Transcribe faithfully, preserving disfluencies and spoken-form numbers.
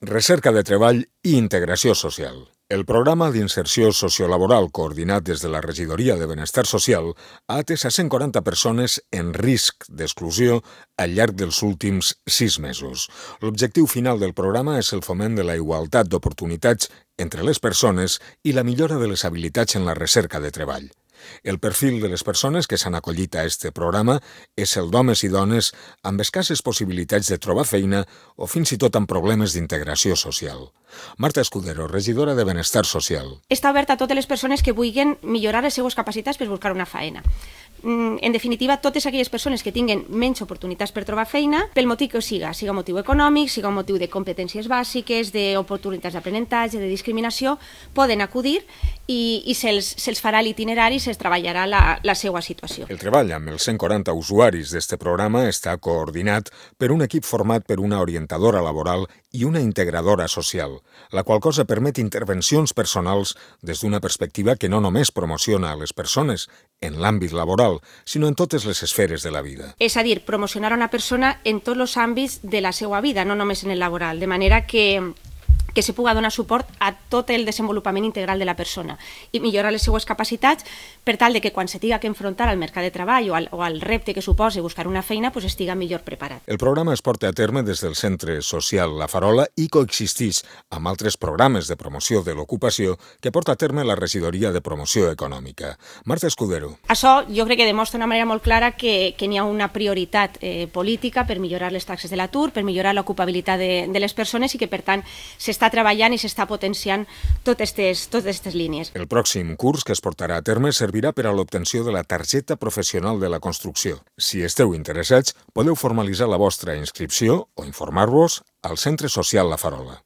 Recerca de treball i integració social. El programa d'inserció sociolaboral coordinat des de la Regidoria de Benestar Social ha atès a cent quaranta persones en risc d'exclusió al llarg dels últims sis mesos. L'objectiu final del programa és el foment de la igualtat d'oportunitats entre les persones i la millora de les habilitats en la recerca de treball. El perfil de les persones que s'han acollit a este programa és el d'homes i dones amb escasses possibilitats de trobar feina o fins i tot amb problemes d'integració social. Marta Escudero, regidora de Benestar Social. Està obert a totes les persones que vulguin millorar les seues capacitats per buscar una feina. En definitiva, totes aquelles persones que tinguin menys oportunitats per trobar feina, pel motiu que siga, siga motiu econòmic, siga motiu de competències bàsiques, d'oportunitats d'aprenentatge, de discriminació, poden acudir i, i se'ls se farà l'itinerari i se'ls treballarà la, la seva situació. El treball amb els cent quaranta usuaris d'este programa està coordinat per un equip format per una orientadora laboral i una integradora social, la qual cosa permet intervencions personals des d'una perspectiva que no només promociona a les persones en l'àmbit laboral, sinó en totes les esferes de la vida. És a dir, promocionar una persona en tots els àmbits de la seva vida, no només en el laboral, de manera que que se puga donar suport a tot el desenvolupament integral de la persona i millorar les seues capacitats per tal de que quan se tinga que enfrontar al mercat de treball o al, o al repte que suposa buscar una feina, pues estiga millor preparat. El programa es porta a terme des del Centre Social La Farola i coexisteix amb altres programes de promoció de l'ocupació que porta a terme la Regidoria de Promoció Econòmica. Marta Escudero. Això jo crec que demostra d'una manera molt clara que, que n'hi ha una prioritat eh, política per millorar les taxes de l'atur, per millorar l'ocupabilitat de, de les persones i que, per tant, s'està està treballant i s'està potenciant totes aquestes línies. El pròxim curs que es portarà a terme servirà per a l'obtenció de la targeta professional de la construcció. Si esteu interessats, podeu formalitzar la vostra inscripció o informar-vos al Centre Social La Farola.